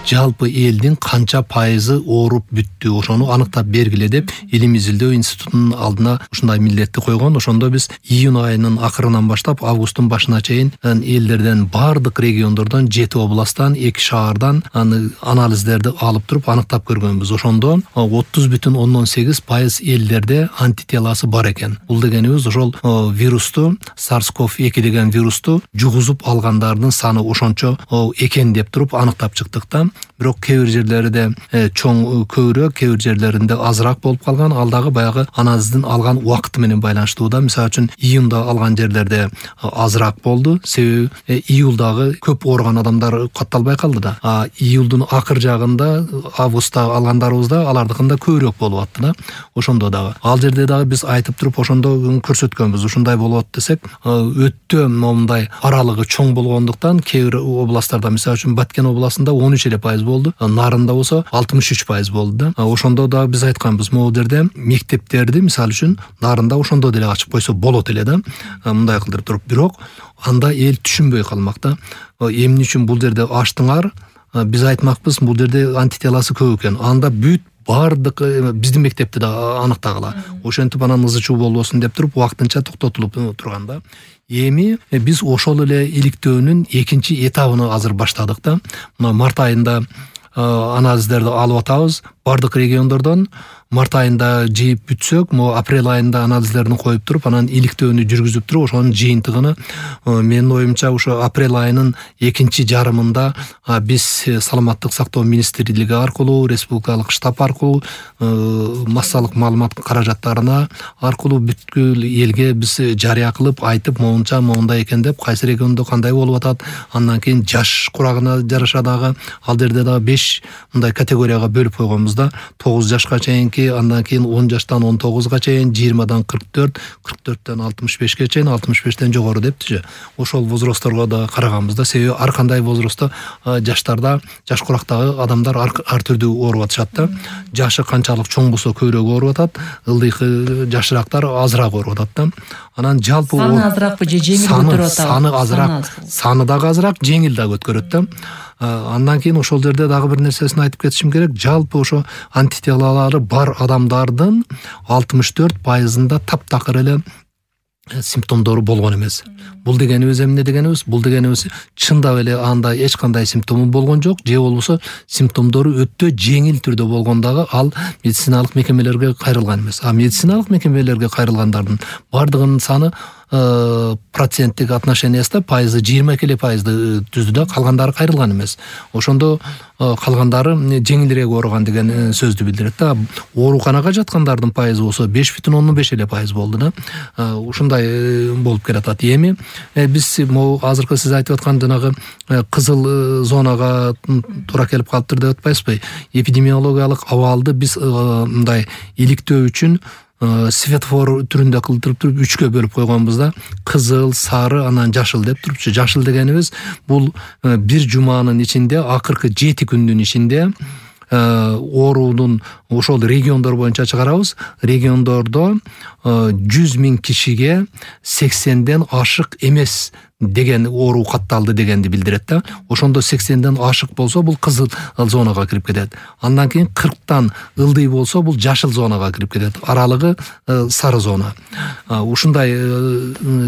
жалпы элдин канча пайызы ооруп бүттү, ошону аныктап бергиле деп Илим изилдөө институтунун алдына ушундай милдетти койгон. Ошондо биз июнь айынын акырынан баштап августтун башына чейин элдерден бардык региондордон 7 областтан 2 шаардан анализдерди алып туруп аныктап көргөнбүз. Ошондо 30,8% элдерде антителасы бар экен. Бул дегенибиз ошол вирусту, SARS-CoV-2 деген вирусту жугузуп алгандардын саны ошончо экен деп туруп аныктап чыктык да. Бирок кээ бир жерлерде чоң көбүрөөк, кээ бир жерлеринде азыраак болуп калган. Ал дагы баягы анализдин алган убакыты менен байланыштуу да. Мисалы үчүн июнда алган жерлерде азыраак болду. Себеби июлдагы көп ооруган адамдар катталбай калды да. Июлдун акыр жагында, августта алгандарыбызда алардыкында көбүрөөк болуп атты да. Ошондо дагы ал жерде дагы биз айтып туруп ошондо көрсөткөнбүз. Ушундай болот десек, өтө момундай аралыгы чоң болгондуктан кээ бир областтарда, мисалы үчүн Баткен областында 13% болду, Нарында болсо 63% болду да. Ошондо да биз айтканбыз, могу жерде мектептерди мисалы үчүн Нарында ошондо деле ачып койсо болот эле да. Мындай кылдырып туруп, бирок анда эл түшүнбөй калмак да. Эмне үчүн бул жерде ачтыңар? Биз айтмакпыз, бул жерде антителасы көп экен. Анда бүт бардык биздин мектепти да аныктагыла. Ошентип анан ызы-чуу болбосун деп туруп вактынча токтотулуп турган да. Эми биз ошол эле иликтөөнүн экинчи этабын азыр баштадык да. Мына март айында анализдерди алып атабыз бардык региондордон. Март айында жыйып бүтсөк, могу апрель айында анализдерин коюп туруп, анан иликтөөнү жүргүзүп туруп, ошонун жыйынтыгын менин оюмча ошо апрель айынын экинчи жарымында биз саламаттык сактоо министрлиги аркылуу, республикалык штаб аркылуу, массалык маалымат каражаттарына аркылуу бүткүл элге биз жарыя кылып айтып, моунча моундай экен деп, кайсы региондо кандай болуп атат, андан кийин жаш курагына жараша дагы ал жерде дагы 5 мындай категорияга бөлүп койгонбуз да. 9 жашка чейинки, андан кийин 10 жаштан 19га чейин, 20дан 44, 44төн 65ке чейин, 65тен жогору дептичи. Ошол возрастторго да караганбыз да. Себеби ар кандай возрастта жаштарда, жаш курактагы адамдар ар түрдүү ооруп атышат да. Жашы канчалык чоң болсо көбүрөөк ооруп атат, ылдыйкы жашыраактар азыраак ооруп атат да. Анан жалпы саны азыракпы же жеңил өткөрүп атабы? Саны азыраак, саны дагы азыраак, жеңил дагы өткөрөт да. Андан кийин ошол жерде дагы бир нерсесин айтып кетишим керек. Жалпы ошо антителалары бар адамдардын 64%-ында таптакыр эле симптомдору болгон эмес. Бул дегенибиз эмне дегенибиз? Бул дегенибиз чындап эле анда эч кандай симптому болгон жок, же болбосо симптомдору өтө жеңил түрдө болгондагы ал медициналык мекемелерге кайрылган эмес. Медициналык мекемелерге кайрылгандардын бардыгынын саны проценттик отношениясында пайызы 22% түздү да, калгандары кайрылган эмес. Ошондо калгандары жеңилирээк ооруган деген сөздү билдирет да. Ооруканага жаткандардын пайызы болсо 5,5% болду да. Ушундай болуп келатат. Эми биз могу азыркы сиз айтып аткан жанагы кызыл зонага туура келип калыптыр деп атпайсызбы? Эпидемиологиялык абалды биз мындай иликтөө үчүн светофор түрүндө кылдырып туруп 3кө бөлүп койгонбуз да. Кызыл, сары, анан жашыл деп турупчу. Жашыл дегенибиз бул бир жуманын ичинде, акыркы 7 күндүн ичинде оорунун ошол региондор боюнча чыгарабыз. Региондордо 100,000 кишиге 80ден ашык эмес деген оору катталды дегенди билдирет да. Ошондо 80ден ашык болсо бул кызыл зонага кирип кетет. Андан кийин 40тан ылдый болсо бул жашыл зонага кирип кетет. Аралыгы сары зона. Ушундай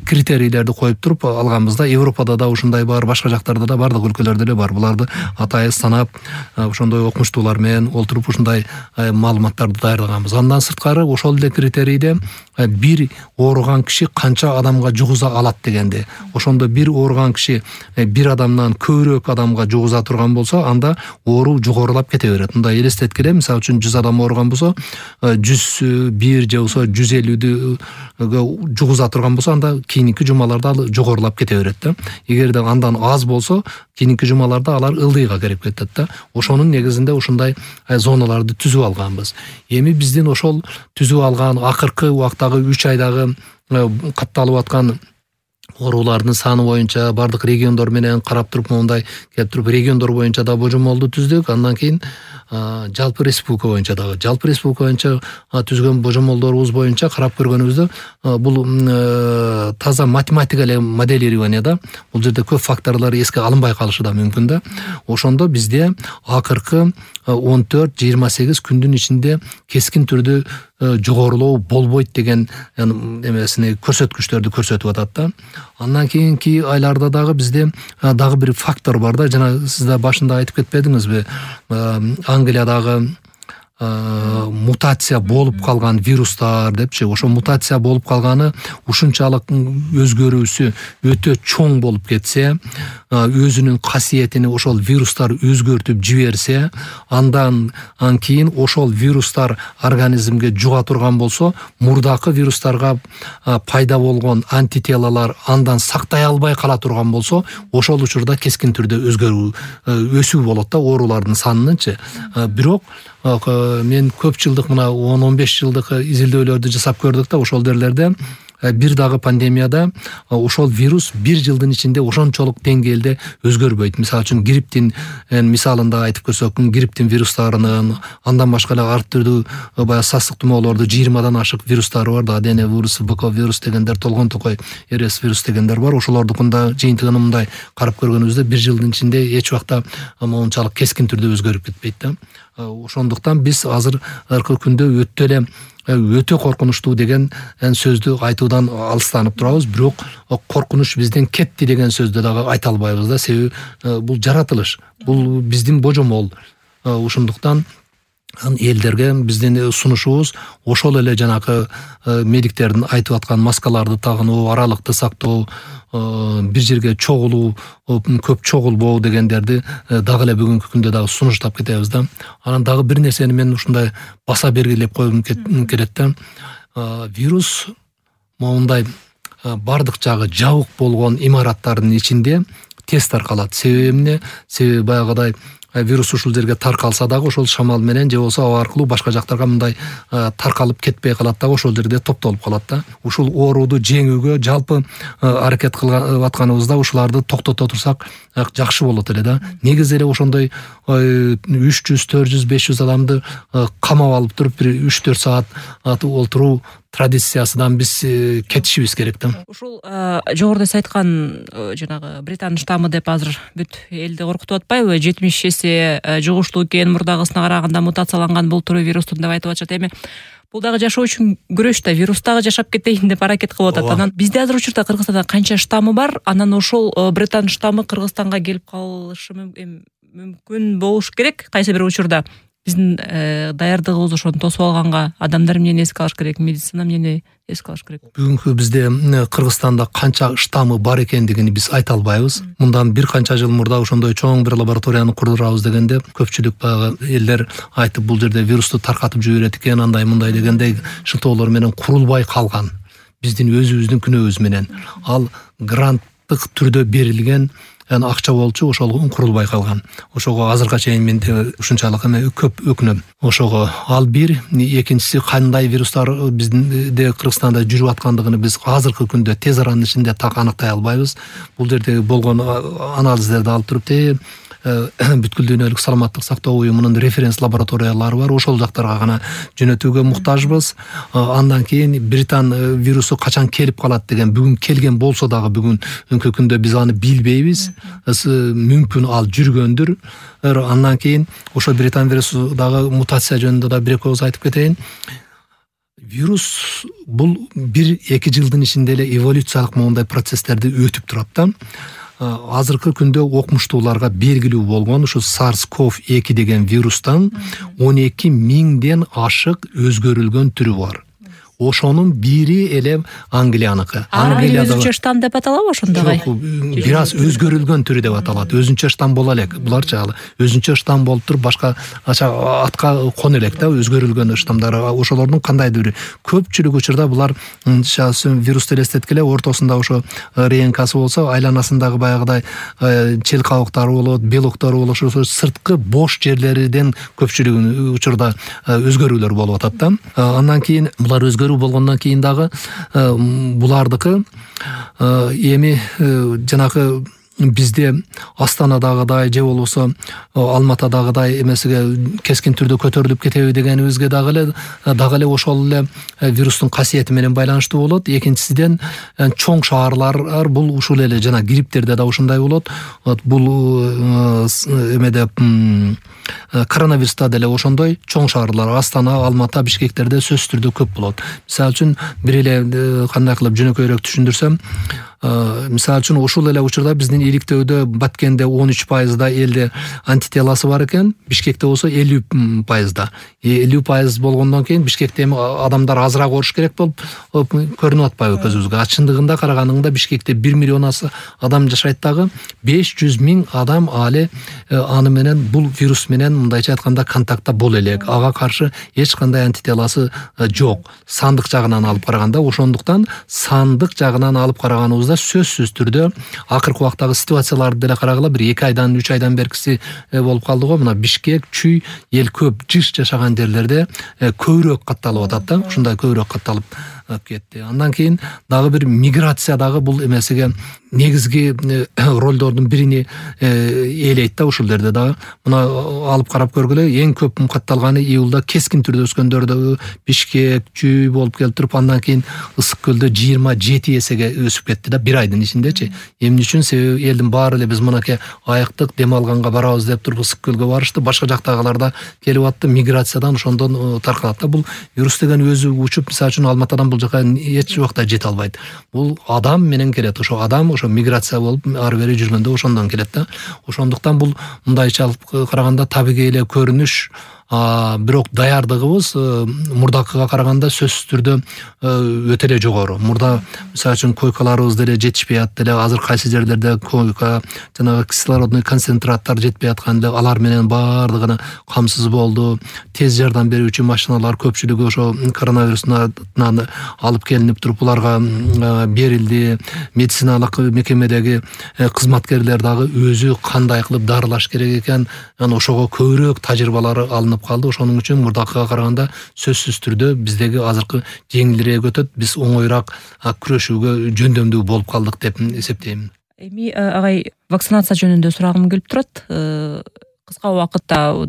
критерийлерди коюп туруп алганбыз да. Европада да ушундай бар, башка жактарда да, бардык өлкөлөрдө эле бар. Буларды атайын санап, ошондой окумуштуулар менен олтуруп ушундай маалыматтарды даярдаганбыз. Андан сырткары ошол эле критерийде бир ооруган киши канча адамга жугуза алат дегенди. Ошондо бир ооруган киши бир адамдан көбүрөөк адамга жугуза турган болсо, анда оору жогорулап кете берет. Мындай элестеткиле, мисалы үчүн 100 адам ооруган болсо, 101 же болсо 150 жугуза турган болсо, анда кийинки жумаларда ал жогорулап кете берет да. Эгерде андан аз болсо, кийинки жумаларда алар ылдыйга кирип кетет да. Ошонун негизинде ушундай зоналарды түзүп алганбыз. Эми биздин ошол түзүп алган акыркы убактагы 3 айдагы катталып аткан оорулардын саны боюнча бардык региондор менен карап туруп моундай келип туруп региондор боюнча да божомолду түздүк. Андан кийин жалпы республика боюнча түзгөн божомолдорубуз боюнча карап көргөнүбүздө бул таза математика эле моделирование да. Бул жерде көп факторлор эске алынбай калышы да мүмкүн да. Ошондо бизде акыркы 14-28 күндүн ичинде кескин түрдө жогорулоо болбойт деген эмесини көрсөткүчтөрдү көрсөтүп атат да. Андан кийинки айларда дагы бизде дагы бир фактор бар да. Жана сиз да башында айтып кетпедиңизби? Англиядагы мутация болуп калган вирустар депчи. Ошо мутация болуп калганы ушунчалык өзгөрүүсү өтө чоң болуп кетсе, өзүнүн касиетини ошол вирустар өзгөртүп жиберсе, андан кийин ошол вирустар организмге жуга турган болсо, мурдакы вирустарга пайда болгон антителалар андан сактай албай кала турган болсо, ошол учурда кескин түрдө өсүү болот да оорулардын санынынчы. Бирок мен көп жылдык мына 10-15 жылдык изилдөөлөрдү жасап көрдүк да, ошол жерлерде бир дагы пандемияда ошол вирус бир жылдын ичинде ошончолук деңгээлде өзгөрбөйт. Мисалы үчүн грипптин мисалында айтып көрсөк, грипптин вирустарынын, андан башка эле ар түрдүү баягы састык тумоолорду 20дан ашык вирустары бар да, адене вирусу, БК вирус дегендер, толгон токой РС вирус дегендер бар. Ошолордукунда жыйынтыгын мындай карап көргөнүбүздө бир жылдын ичинде эч убакта мончалык кескин түрдө өзгөрүп кетпейт да. Ошондуктан биз азыркы күндө өтө коркунучтуу деген сөздү айтуудан алыстанып турабыз. Бирок коркунуч бизден кетти деген сөздү дагы айта албайбыз да. Себеби бул жаратылыш, бул биздин божомол. Ошондуктан элдерге биздин сунушубуз ошол эле жанакы медиктердин айтып аткан маскаларды тагынуу, аралыкты сактоо, бир жерге чогулуу, көп чогулбоо дегендерди дагы эле бүгүнкү күндө дагы сунуштап кетебиз да. Анан дагы бир нерсени мен ушундай баса бергилеп койгум келет да. Вирус моундай бардык жагы жабык болгон имараттардын ичинде тез таркалат. Себеби эмне? Себеби баягыдай вирус ушул жерге таркалса дагы ошол шамал менен же болбосо аба аркылуу башка жактарга мындай таркалып кетпей калат дагы, ошол жерде топтолуп калат да. Ушул ооруду жеңүүгө жалпы аракет кылып атканыбызда ушуларды токтото турсак жакшы болот эле да. Негизи эле ошондой 300, 400, 500 адамды камап алып туруп бир 3-4 саат олтуруу традициясынан биз кетишибиз керек да. Ушул жогоруда сиз айткан жанагы Британ штаммы деп азыр бүт элди коркутуп атпайбы? 70 эсе жугуштуу экен, мурдагысына караганда мутацияланган бул түрү вирустун деп айтып атышат. Эми бул дагы жашоо үчүн күрөш да, вирус дагы жашап кетейин деп аракет кылып атат. Анан бизде азыр учурда Кыргызстанда канча штаммы бар? Анан ошол Британ штаммы Кыргызстанга келип калышы мүмкүн болуш керек кайсы бир учурда. Биздин даярдыгыбыз ошону тосуп алганга адамдар эмнени эске алыш керек, медицина эмнени эске алыш керек? Бүгүнкү бизде Кыргызстанда канча штаммы бар экендигини биз айта албайбыз. Мындан бир канча жыл мурда ошондой чоң бир лабораторияны курдурабыз дегенде көпчүлүк баягы элдер айтып, бул жерде вирусту таркатып жиберет экен, андай мындай дегендей шылтоолор менен курулбай калган. Биздин өзүбүздүн күнөөбүз менен. Ал гранттык түрдө берилген акча болчу, ошол курулбай калган. Ошого азыркыга чейин мен ушунчалык көп өкүнөм. Ошого ал бир, экинчиси кандай вирустар биздин Кыргызстанда жүрүп аткандыгын биз азыркы күндө тез аранын ичинде так аныктай албайбыз. Бул жерде болгон анализдерди алып туруп бүткүл дүйнөлүк саламаттык сактоо уюмунун референс лабораториялары бар. Ошол жактарга гана жөнөтүүгө муктажбыз. Андан кийин Британ вирусу качан келип калат деген бүгүн келген болсо дагы бүгүнкү күндө биз аны билбейбиз. Мүмкүн ал жүргөндүр. Андан кийин ошо Британ вирусу дагы мутация жөнүндө да бир экөөбүз айтып кетейин. Вирус бул 1-2 жылдын ичинде эле эволюциялык моундай процесстерди өтүп турат да. Азыркы күндө окумуштууларга белгилүү болгон ушу SARS-CoV-2 деген вирустан 12 миңден ашык өзгөрүлгөн түрү бар. Ошонун бири эле Англияныкы. Англияда өзүнчө штамм деп аталабы ошондой? Бир аз өзгөрүлгөн түрү деп аталат. Өзүнчө штамм боло элек. Буларчы өзүнчө штамм болуп туруп башка атка коно элек да, өзгөрүлгөн штаммдар. Ошолордун кандайдыр бири. Көпчүлүк учурда булар вирусту элестеткиле, ортосунда ошо РНКсы болсо, айланасындагы баягыдай чел кабыктары болот, белоктор болот, ошо сырткы бош жерлерден көпчүлүгүн учурда өзгөрүүлөр болуп атат да. Андан кийин булар өзгөрүп тапшыруу болгондон кийин дагы булардыкы эми жанагы бизде Астанадагыдай же болбосо Алматадагыдай эмесиге кескин түрдө көтөрүлүп кетеби дегенибизге дагы эле ошол эле вирустун касиети менен байланыштуу болот. Экинчисиден чоң шаарлар бул ушул эле жана грипптерде да ушундай болот. Бул эмеде коронавируста деле ошондой чоң шаарлар Астана, Алмата, Бишкектерде сөзсүз түрдө көп болот. Мисалы үчүн бир эле кандай кылып жөнөкөйрөөк түшүндүрсөм, мисалы үчүн ушул эле учурда биздин иликтөөдө Баткенде 13% элде антителасы бар экен, Бишкекте болсо 50%. 50% болгондон кийин Бишкекте эми адамдар азыраак ооруш керек болуп көрүнүп атпайбы көзүбүзгө. Чындыгында караганыңда Бишкекте 1 миллион адам жашайт дагы 500 000 адам али аны менен бул вирус менен мындайча айтканда контактта боло элек. Ага каршы эч кандай антителасы жок. Сандык жагынан алып караганда, ошондуктан сандык жагынан алып караганыбызда сөзсүз түрдө акыркы убактагы ситуацияларды деле карагыла, бир 2 айдан 3 айдан беркиси болуп калды го. Мына Бишкек, Чүй, эл көп жыш жашаган жерлерде көбүрөөк катталып атат да. Ушундай көбүрөөк катталып кетти. Андан кийин дагы бир миграция дагы бул эмесиге негизги ролдордун бирини ээлейт да ушул жерде дагы. Мына алып карап көргүлө, эң көп катталганы июлда кескин түрдө өскөндөрдө Бишкек, Чүй болуп келип туруп, андан кийин Ысык көлдө 27 эсеге өсүп кетти да бир айдын ичиндечи. Эмне үчүн? Себеби элдин баары эле биз мынакей айыктык дем алганга барабыз деп туруп Ысык көлгө барышты, башка жактагылар да келип атты, миграциядан ошондон таркалат да. Бул вирус деген өзү учуп, мисалы үчүн Алматадан бул жака эч убакта жете албайт. Бул адам менен келет. Ошо адам ошо миграция болуп ары бери жүргөндө ошондон келет да. Ошондуктан бул мындайча алып караганда табигый эле көрүнүш, бирок даярдыгыбыз мурдакыга караганда сөзсүз түрдө өтө эле жогору. Мурда мисалы үчүн койкаларыбыз деле жетишпей атты эле. Азыр кайсы жерлерде койка, жанагы кислородный концентраттар жетпей аткан эле, алар менен баардыгына камсыз болду. Тез жардам берүүчү машиналар көпчүлүгү ошо коронавирустан алып келинип туруп буларга берилди. Медициналык мекемедеги кызматкерлер дагы өзү кандай кылып дарылаш керек экен, ошого көбүрөөк тажрыйбалары алынып калды. Ошонун үчүн мурдакыга караганда сөзсүз түрдө биздеги азыркы жеңилирээк өтөт. Биз оңоюраак күрөшүүгө жөндөмдүү болуп калдык деп эсептейм. Эми агай, вакцинация жөнүндө сурагым келип турат. Кыска убакытта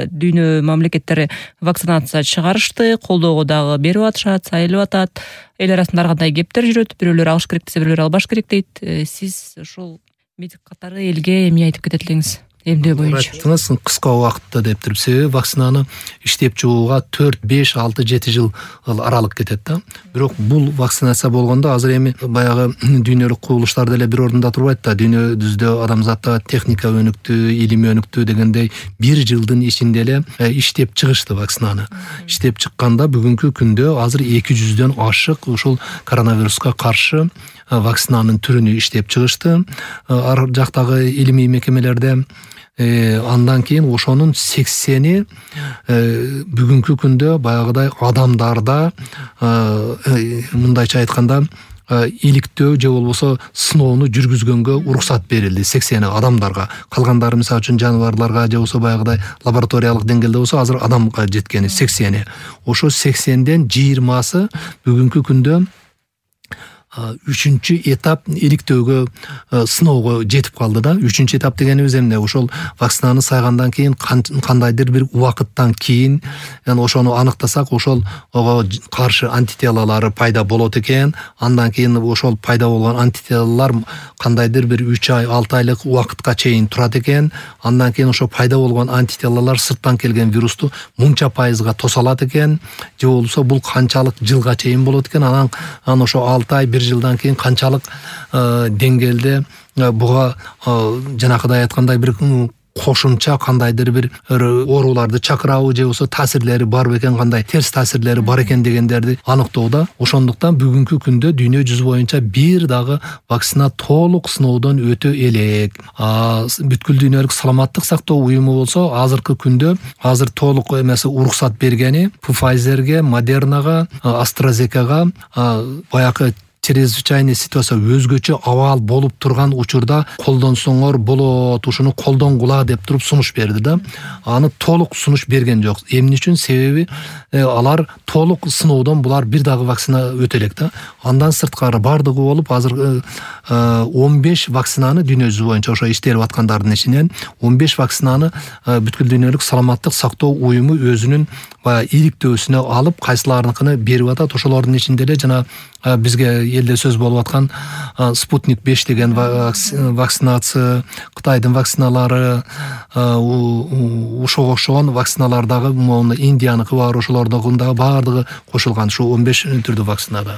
дүйнө мамлекеттери вакцинация чыгарышты, колдоого дагы берип атышат, сайылып атат. Эл арасында ар кандай кептер жүрөт, бирөөлөр алыш керек десе, бирөөлөр албаш керек дейт. Сиз ушул медик катары элге эмне айтып кетет элеңиз? Эмне боюнча? Айттыңыз, кыска убакытта деп туруп, себеби вакцинаны иштеп чыгууга 4, 5, 6, 7 жыл аралык кетет да. Бирок бул вакцинация болгондо азыр эми баягы дүйнөлүк кубулуштар деле бир ордунда турбайт да. Дүйнөбүздө адамзатта техника өнүктү, илим өнүктү дегендей 1 жылдын ичинде эле иштеп чыгышты вакцинаны. Иштеп чыкканда бүгүнкү күндө азыр 200дөн ашык ушул коронавируска каршы вакцинанын түрүнү иштеп чыгышты. Ар жактагы илимий мекемелерде андан кийин ошонун 80-и бүгүнкү күндө баягыдай адамдарда мындайча айтканда иликтөө же болбосо сыноону жүргүзгөнгө уруксат берилди. 80 адамдарга, калгандары мисалы үчүн жаныбарларга же болбосо баягыдай лабораториялык деңгээлде болсо азыр адамга жеткени 80. Ошо 80ден 20сы бүгүнкү күндө 3-чү этап иликтөөгө сыноого жетип калды да. 3-чү этап дегенибиз эмне? Ошол вакцинаны сайгандан кийин кандайдыр бир убакыттан кийин ошону аныктасак, ошол ого каршы антителалары пайда болот экен. Андан кийин ошол пайда болгон антителалар кандайдыр бир 3 ай, 6 айлык убакытка чейин турат экен. Андан кийин ошо пайда болгон антителалар сырттан келген вирусту мынча пайызга тоса алат экен. Же болбосо бул канчалык жылга чейин болот экен. Анан ошо 6 ай, 1 жылдан кийин канчалык деңгээлде буга жанакыдай айткандай бир кошумча кандайдыр бир ооруларды чакырабы же болбосо таасирлери барбы экен, кандай терс таасирлери бар экен дегендерди аныктоодо. Ошондуктан бүгүнкү күндө дүйнө жүзү боюнча бир дагы вакцина толук сыноодон өтө элек. Бүткүл дүйнөлүк саламаттык сактоо уюму болсо азыркы күндө азыр толук эмеси уруксат бергени Pfizer'ге, Moderna'га, AstraZeneca'га баягы чрезвычайный ситуация өзгөчө абал болуп турган учурда колдонсоңор болот, ушуну колдонгула деп туруп сунуш берди да. Аны толук сунуш берген жок. Эмне үчүн? Себеби алар толук сыноодон булар бир дагы вакцина өтө элек да. Андан сырткары бардыгы болуп азыр 15 вакцинаны дүйнө жүзү боюнча ошо иштелип аткандардын ичинен 15 вакцинаны бүткүл дүйнөлүк саламаттык сактоо уюму өзүнүн баягы иликтөөсүнө алып кайсыларыныкын берип атат. Ошолордун ичинде эле жана бизге элде сөз болуп аткан Спутник 5 деген вакцинация, Кытайдын вакциналары, ошого окшогон вакциналар дагы мону Индияныкы бар, ошолордун дагы бардыгы кошулган ушу 15 түрдүү вакцинада.